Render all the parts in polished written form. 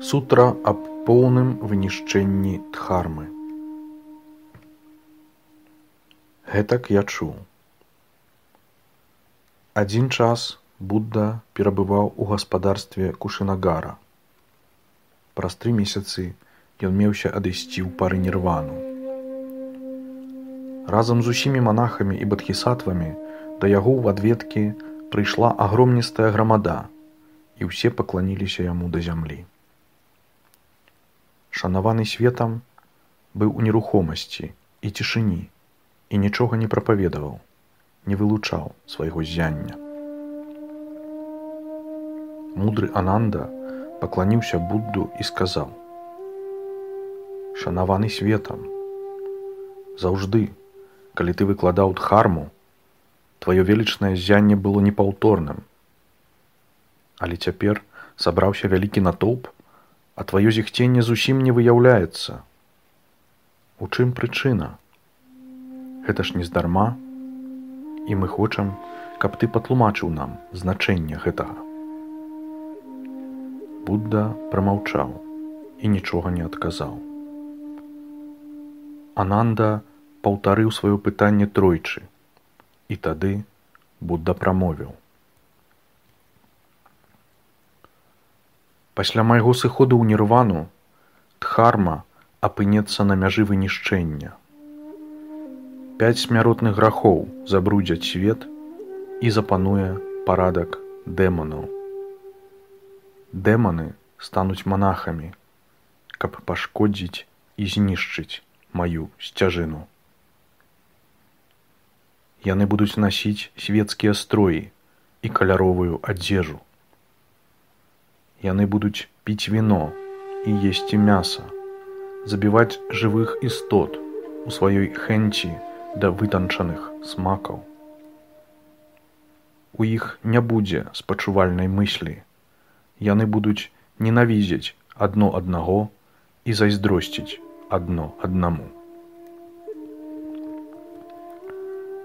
Сутра аб поўным вынішчэнні Дхармы. Гэтак я чуў. Адзін час Будда перабываў у гаспадарстве Кушынагара. Праз 3 месяцы ён меўся адысці ў парынірвану. Разам з усімі манахамі і бадхісатвамі да яго ў адведкі прыйшла агромністая грамада, і ўсе пакланіліся яму да зямлі. Шанаваны светам быў у нерухомасці і цішыні і нічога не прапаведаваў, не вылучаў свайго ззяння. Мудры Ананда пакланіўся Будду і сказаў: «Шанаваны светам, заўжды, калі ты выкладаў Дхарму, тваё велічнае ззянне было непаўторным. Але цяпер сабраўся вялікі натоўп, а тваё зіхценне зусім не выяўляецца. У чым прычына? Гэта ж нездарма, і мы хочам, каб ты патлумачыў нам значэнне гэтага». Будда прамаўчаў і нічога не адказаў. Ананда паўтарыў сваё пытанне тройчы, і тады Будда прамовіў: «Пасля майго сыходу ў нірвану Дхарма апынецца на мяжы вынішчэння. 5 смяротных грахоў забрудзяць свет і запануе парадак дэманаў. Дэманы стануць манахамі, каб пашкодзіць і знішчыць маю сцяжыну. Яны будуць насіць свецкія строі і каляровую адзежу. Яны будуць піць віно і есці мяса, забіваць жывых істот у сваёй хэнці да вытанчаных смакаў. У іх не будзе спачувальнай мыслі. Яны будуць ненавідзець адно аднаго і зайздросціць адно аднаму.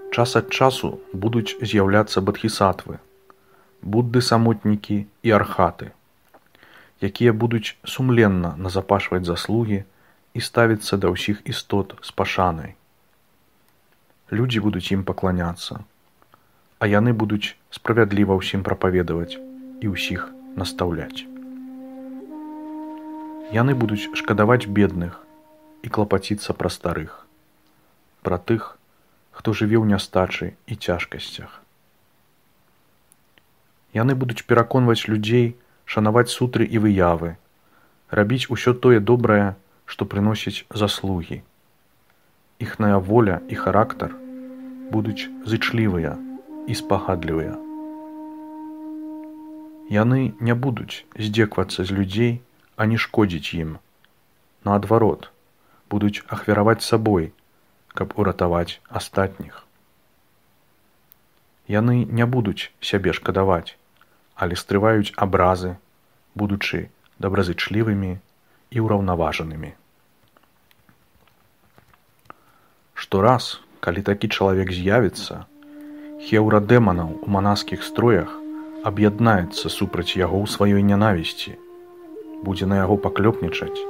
Час ад часу будуць з'яўляцца бадхісатвы, будды-самотнікі і архаты, якія будуць сумленна назапашваць заслугі і ставіцца да ўсіх істот з пашанай. Людзі будуць ім пакланяцца, а яны будуць справядліва ўсім прапаведаваць і ўсіх настаўляць. Яны будуць шкадаваць бедных і клапаціцца пра старых, пра тых, хто жыве ў нястачы і цяжкасцях. Яны будуць пераконваць людзей шанаваць сутры і выявы, рабіць усё тое добрае, што прыносіць заслугі. Іхная воля і характар будуць зычлівыя і спагадлівыя. Яны не будуць здзеквацца з людзей, а не шкодзіць ім. Наадварот, будуць ахвяраваць сабой, каб уратаваць астатніх. Яны не будуць сябе шкадаваць, але стрываюць абразы, будучы добразычлівымі і ўраўнаважанымі. Штораз, калі такі чалавек з'явіцца, хеўра дэманаў у манаскіх строях аб'яднаецца супраць яго ў сваёй нянавісці, будзе на яго паклёпнічаць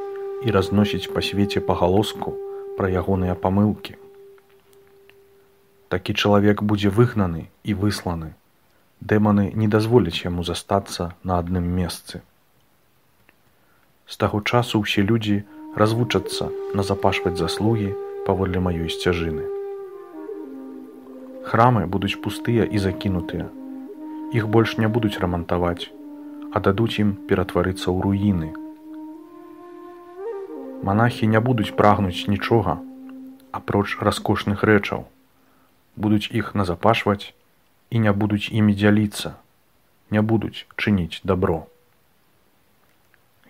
і разносіць па свеце пагалоску пра ягоныя памылкі. Такі чалавек будзе выгнаны і высланы. Дэманы не дазволяць яму застацца на адным месцы. З таго часу ўсе людзі развучацца назапашваць заслугі паводле маёй сцяжыны. Храмы будуць пустыя і закінутыя. Іх больш не будуць рамантаваць, а дадуць ім ператварыцца ў руіны. Манахі не будуць прагнуць нічога, апроч раскошных рэчаў, будуць іх назапашваць і не будуць імі дзяліцца, не будуць чыніць дабро.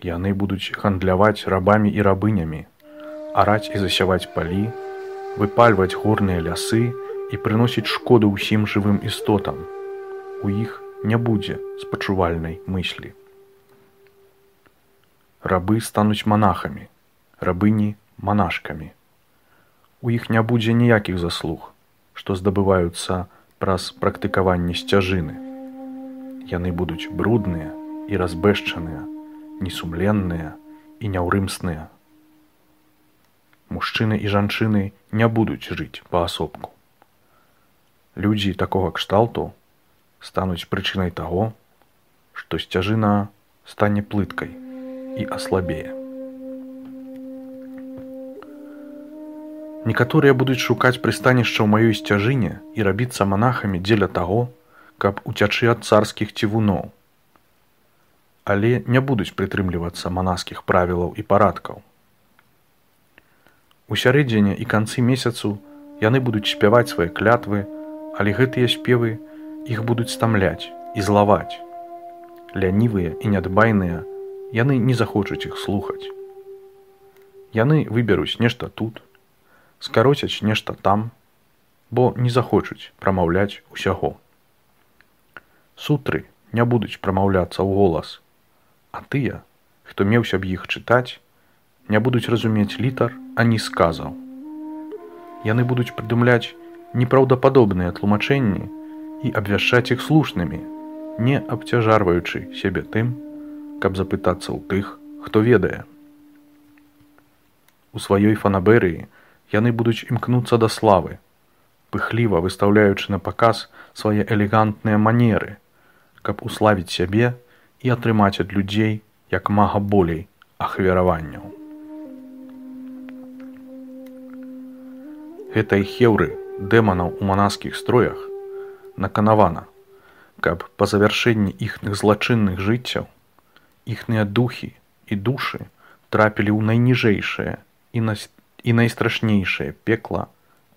Яны будуць гандляваць рабамі і рабынямі, араць і засяваць палі, выпальваць горныя лясы і прыносіць шкоду ўсім жывым істотам. У іх не будзе спачувальнай мыслі. Рабы стануць манахамі, рабыні манашкамі. У іх не будзе ніякіх заслуг, што здабываюцца праз практыкаванне сцяжыны. Яны будуць брудныя і разбэшчаныя, несумленныя і няўрымсныя. Мужчыны і жанчыны не будуць жыць паасобку. Людзі такога кшталту стануць прычынай таго, што сцяжына стане плыткай і аслабее. Некаторыя будуць шукаць прыстанішча ў маёй сцяжыне і рабіцца манахамі дзеля таго, каб уцячы ад царскіх цівуноў, але не будуць прытрымлівацца манаскіх правілаў і парадкаў. У сярэдзіне і канцы месяцу яны будуць спяваць свае клятвы, але гэтыя спевы іх будуць стамляць і злаваць. Лянівыя і нядбайныя, яны не захочуць іх слухаць. Яны выберуць нешта тут, скароцяць нешта там, бо не захочуць прамаўляць усяго. Сутры не будуць прамаўляцца ў голас, а тыя, хто меўся б іх чытаць, не будуць разумець літар ані сказаў. Яны будуць прыдумляць непраўдападобныя тлумачэнні і абвяшчаць іх слушнымі, не абцяжарваючы сябе тым, каб запытацца ў тых, хто ведае. У сваёй фанаберыі яны будуць імкнуцца да славы, пыхліва выстаўляючы на паказ свае элегантныя манеры, каб уславіць сябе і атрымаць ад людзей як мага болей ахвяраванняў. Гэтай хеўры дэманаў у манаскіх строях наканавана, каб па завяршэнні іхных злачынных жыццяў іхныя духі і душы трапілі ў найніжэйшае і найстрашнейшае пекла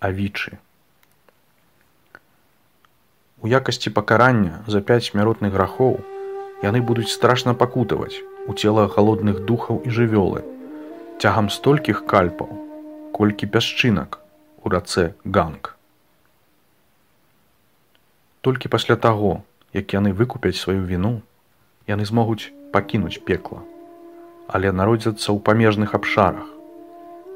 авічы. У якасці пакарання за 5 смяротных грахоў яны будуць страшна пакутаваць у целах галодных духаў і жывёлы цягам столькіх кальпаў, колькі пясчынак у рацэ Ганг. Толькі пасля таго, як яны выкупяць сваю віну, яны змогуць пакінуць пекла, але народзяцца ў памежных абшарах,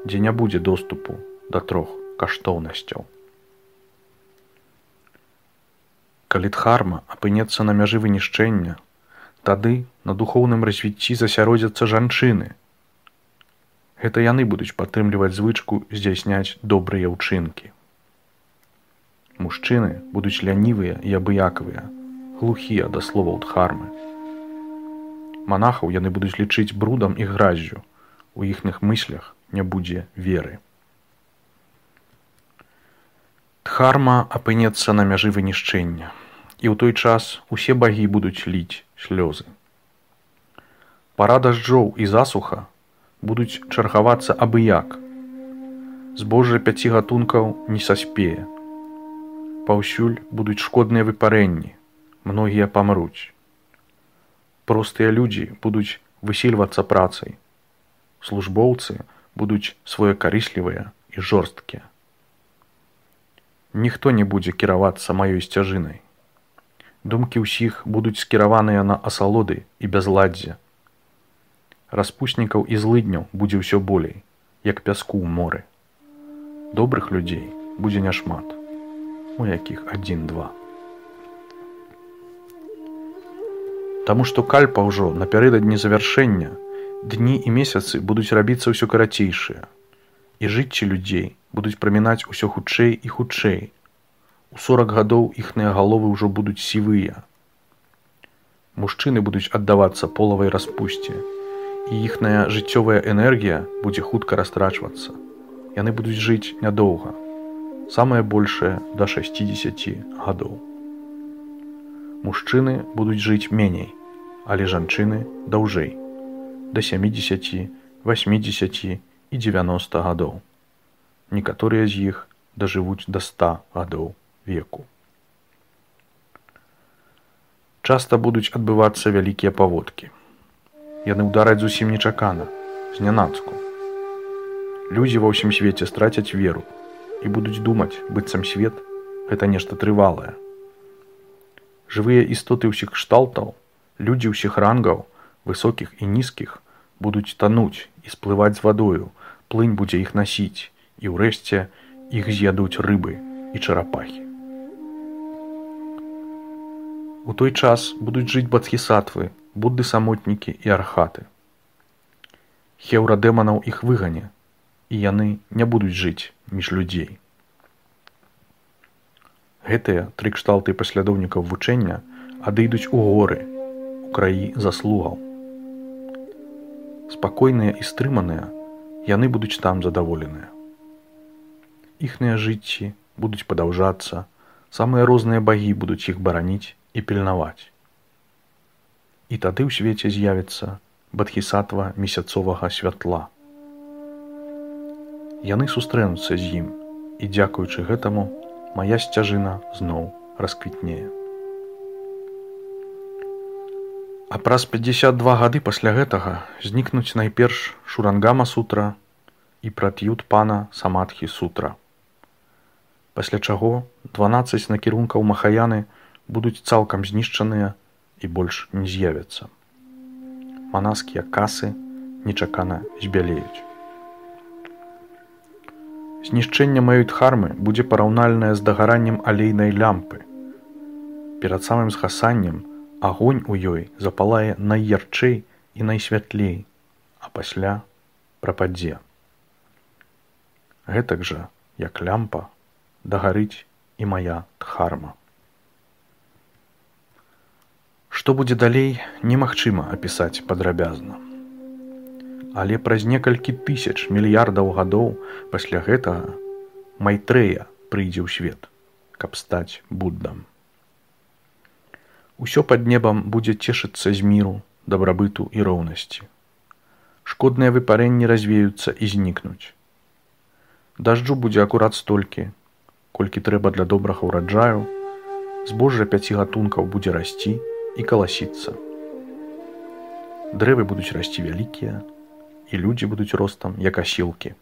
дзе не будзе доступу да 3 каштоўнасцяў. Калі дхарма апынецца на мяжы вынішчэння, тады на духоўным развіцці засяродзяцца жанчыны. Гэта яны будуць падтрымліваць звычку здзяйсняць добрыя ўчынкі. Мужчыны будуць лянівыя і абыякавыя, глухія да словаў дхармы. Манахаў яны будуць лічыць брудам і граззю, у іхных мыслях не будзе веры. Дхарма апынецца на мяжы вынішчэння, і ў той час усе багі будуць ліць слёзы. Пара дажджоў і засуха будуць чаргавацца абыяк. Збожжа 5 гатункаў не саспее. Паўсюль будуць шкодныя выпарэнні, многія памруць. Простыя людзі будуць высільвацца працай. Службоўцы будуць своекарыслівыя і жорсткія. Ніхто не будзе кіравацца маёй сцяжынай. Думкі ўсіх будуць скіраваныя на асалоды і бязладдзе. Распуснікаў і злыдняў будзе ўсё болей, як пяску ў моры. Добрых людзей будзе няшмат, у якіх 1-2. Таму што кальпа ўжо напярэдадні завяршэння, дні і месяцы будуць рабіцца ўсё карацейшыя, і жыцці людзей будуць прамінаць усё хутчэй і хутчэй. У 40 гадоў іхныя галовы ўжо будуць сівыя. Мужчыны будуць аддавацца полавай распусце, і іхная жыццёвая энергія будзе хутка растрачвацца. Яны будуць жыць нядоўга, самае большае да 60 гадоў. Мужчыны будуць жыць меней, але жанчыны даўжэй, да 70, 80 і 90 гадоў. Некаторыя з іх дажывуць да 100 гадоў веку. Часта будуць адбывацца вялікія паводкі. Яны ўдараць зусім нечакана, знянацку. Людзі ва ўсім свеце страцяць веру і будуць думаць, быццам свет – гэта нешта трывалае. Жывыя істоты ўсіх кшталтаў, людзі ўсіх рангаў, высокіх і нізкіх, будуць тануць і сплываць з вадою, плынь будзе іх насіць, і ўрэшце іх з'ядуць рыбы і чарапахі. У той час будуць жыць бадхісатвы, будды-самотнікі і архаты. Хеўра дэманаў іх выгане, і яны не будуць жыць між людзей. Гэтыя тры кшталты паслядоўнікаў вучэння адыдуць у горы, у краі заслугаў. Спакойныя і стрыманыя, яны будуць там задаволеныя. Іхныя жыцці будуць падаўжацца, самыя розныя багі будуць іх бараніць і пільнаваць. І тады ў свеце з'явіцца бадхісатва месяцовага святла. Яны сустрэнуцца з ім, і дзякуючы гэтаму мая сцяжына зноў расквітнее. А праз 52 гады пасля гэтага знікнуць найперш Шурангама сутра і Пратьютпана Самадхі сутра. Пасля чаго 12 накірункаў Махаяны будуць цалкам знішчаныя і больш не з'явяцца. Манаскія касы нечакана збялеюць. Знішчэнне Маюдхармы будзе параўнальнае з дагараннем алейнай лямпы. Перад самым згасаннем агонь у ёй запалае найярчэй і найсвятлей, а пасля прападзе. Гэтак жа, як лямпа, дагарыць і мая дхарма. Што будзе далей, немагчыма апісаць падрабязна. Але праз некалькі тысяч мільярдаў гадоў пасля гэтага Майтрэя прыйдзе ў свет, каб стаць Буддам. Усё пад небам будзе цешыцца з міру, дабрабыту і роўнасці. Шкодныя выпарэнні развеюцца і знікнуць. Дажджу будзе акурат столькі, колькі трэба для добрага ўраджаю, збожжа 5 гатункаў будзе расці і каласіцца. Дрэвы будуць расці вялікія, і людзі будуць ростам, як асілкі.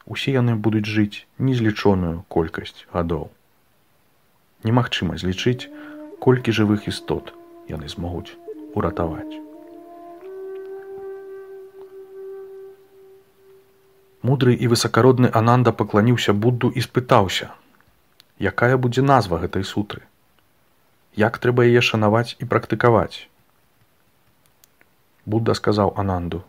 Усе яны будуць жыць незлічоную колькасць гадоў. Немагчыма злічыць, колькі жывых істот яны змогуць уратаваць. Мудры і высакародны Ананда пакланіўся Будду і спытаўся, якая будзе назва гэтай сутры? Як трэба яе шанаваць і практыкаваць? Будда сказаў Ананду,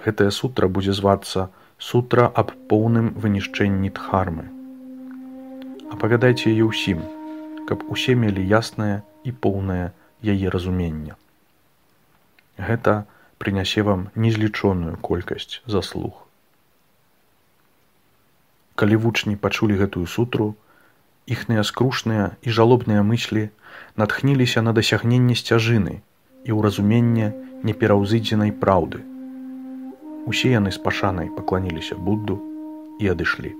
гэтая сутра будзе звацца сутра аб поўным вынішчэнні дхармы. Апавядайце яе ўсім, каб усе мелі яснае і поўнае яе разуменне. Гэта прынясе вам незлічоную колькасць заслуг. Калі вучні пачулі гэтую сутру, іхныя скрушныя і жалобныя мыслі натхніліся на дасягненне сцяжыны і ў разуменне непераўзыдзенай праўды. Усе яны з пашанай пакланіліся Будду і адышлі.